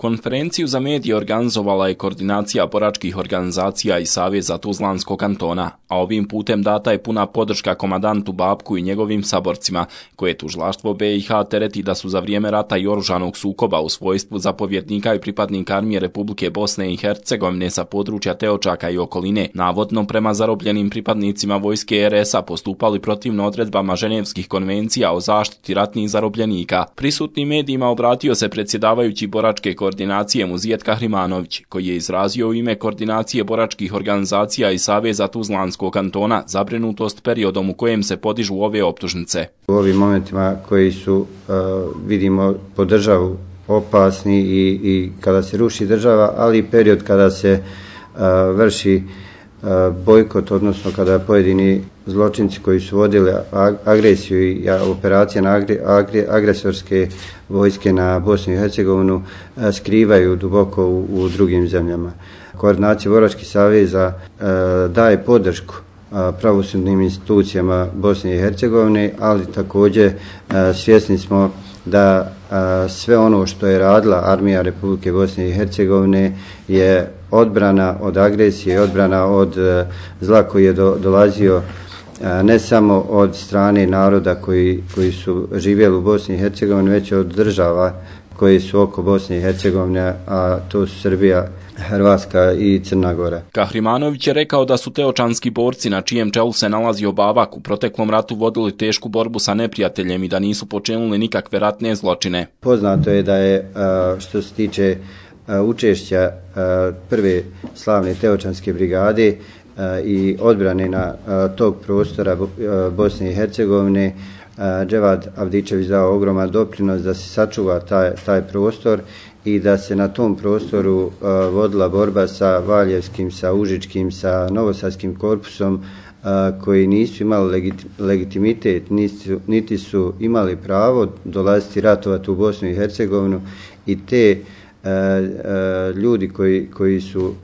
Konferenciju za medije organizovala je Koordinacija boračkih organizacija i Saveza Tuzlanskog kantona, a ovim putem data je puna podrška komandantu Babku i njegovim saborcima, koje tužilaštvo BiH tereti da su za vrijeme rata i oružanog sukoba u svojstvu zapovjednika i pripadnika armije Republike Bosne i Hercegovine sa područja Teočaka i okoline, navodno prema zarobljenim pripadnicima vojske RS-a postupali protivno odredbama Ženevskih konvencija o zaštiti ratnih zarobljenika. Prisutnim medijima obratio se predsjedavajući boračke koordinacije Muzijet Kahrimanović, koji je izrazio u ime Koordinacije boračkih organizacija i Saveza Tuzlanskog kantona zabrinutost periodom u kojem se podižu ove optužnice. U ovim momentima koji su, vidimo, po državu opasni i kada se ruši država, ali i period kada se vrši bojkot, odnosno kada pojedini zločinci koji su vodili agresiju i operacije na agresorske vojske na Bosnu i Hercegovinu skrivaju duboko u drugim zemljama. Koordinacija boračkih saveza daje podršku pravosudnim institucijama Bosne i Hercegovine, ali također svjesni smo da sve ono što je radila armija Republike Bosne i Hercegovine je odbrana od agresije, odbrana od zla koji je dolazio ne samo od strane naroda koji su živjeli u Bosni i Hercegovini, već od država koje su oko Bosne i Hercegovine, a to su Srbija, Hrvatska i Crna Gora. Kahrimanović je rekao da su teočanski borci, na čijem čelu se nalazio Babak, u proteklom ratu vodili tešku borbu sa neprijateljem i da nisu počinili nikakve ratne zločine. Poznato je da je, što se tiče učešća prve slavne teočanske brigade i odbrane na tog prostora Bosne i Hercegovine, Dževad Avdičević dao ogroman doprinos da se sačuva taj prostor i da se na tom prostoru vodila borba sa Valjevskim, sa Užičkim, sa Novosadskim korpusom, koji nisu imali legitimitet, niti su imali pravo dolaziti ratovati u Bosnu i Hercegovinu, i te ljudi koji su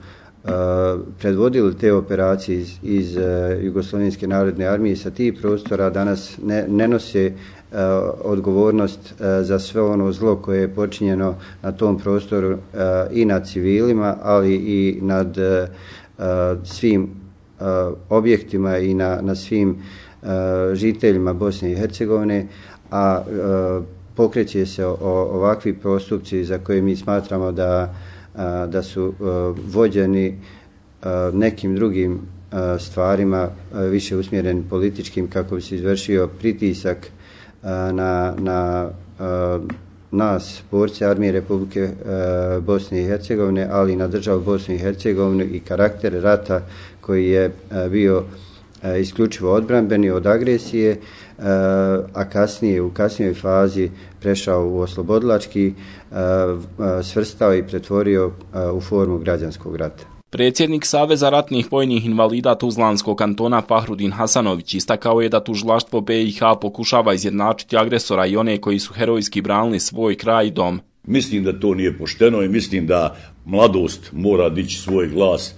predvodili te operacije iz Jugoslovenske narodne armije sa tih prostora danas ne nose odgovornost za sve ono zlo koje je počinjeno na tom prostoru i nad civilima, ali i nad svim objektima i na svim žiteljima Bosne i Hercegovine, a pokreće se ovakvi postupci za koje mi smatramo da su vođeni nekim drugim stvarima, više usmjereni političkim, kako bi se izvršio pritisak na nas, borce armije Republike Bosne i Hercegovine, ali i na državu Bosnu i Hercegovinu i karakter rata koji je bio isključivo odbranbeni od agresije, a kasnije, u kasnijoj fazi prešao u oslobodilački, svrstao i pretvorio u formu građanskog rata. Predsjednik Saveza ratnih vojnih invalida Tuzlanskog kantona Fahrudin Hasanović istakao je da tužilaštvo BiH pokušava izjednačiti agresora i one koji su herojski branili svoj kraj i dom. Mislim da to nije pošteno i mislim da mladost mora dići svoj glas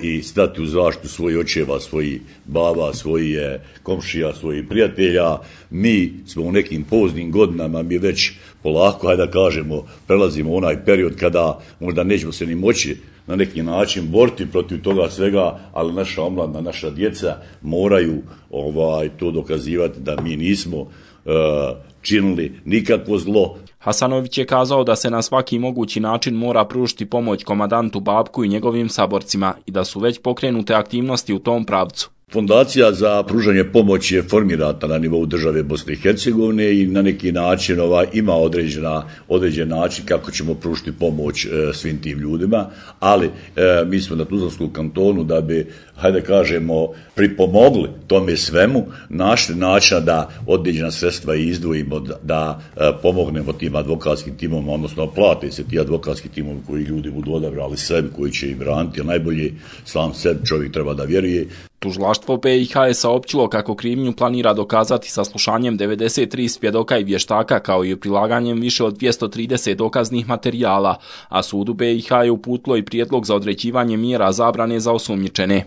i stati u zaštitu svojih očeva, svojih baba, svojih komšija, svojih prijatelja. Mi smo u nekim poznim godinama, mi već polako, hajde da kažemo, prelazimo onaj period kada možda nećemo se ni moći na neki način boriti protiv toga svega, ali naša omladina, naša djeca moraju to dokazivati da mi nismo činili nikakvo zlo. Hasanović je kazao da se na svaki mogući način mora pružiti pomoć komandantu Babku i njegovim saborcima i da su već pokrenute aktivnosti u tom pravcu. Fondacija za pružanje pomoći je formirana na nivou države Bosne i Hercegovine i na neki način ima određen način kako ćemo pružiti pomoć svim tim ljudima, ali mi smo na Tuzlanskom kantonu da bi, hajde kažemo, pripomogli tome svemu, našli načina da određena sredstva izdvojimo, da pomognemo tim advokatskim timom, odnosno plate se ti advokatski timovi koji ljudi budu odabrali sebi, koji će ih braniti, a najbolje sam sebi čovjek treba da vjeruje. Tužilaštvo BiH je saopćilo kako krivnju planira dokazati saslušanjem 93 svjedoka i vještaka, kao i prilaganjem više od 230 dokaznih materijala, a sudu BiH je uputilo i prijedlog za određivanje mjera zabrane za osumnjičene.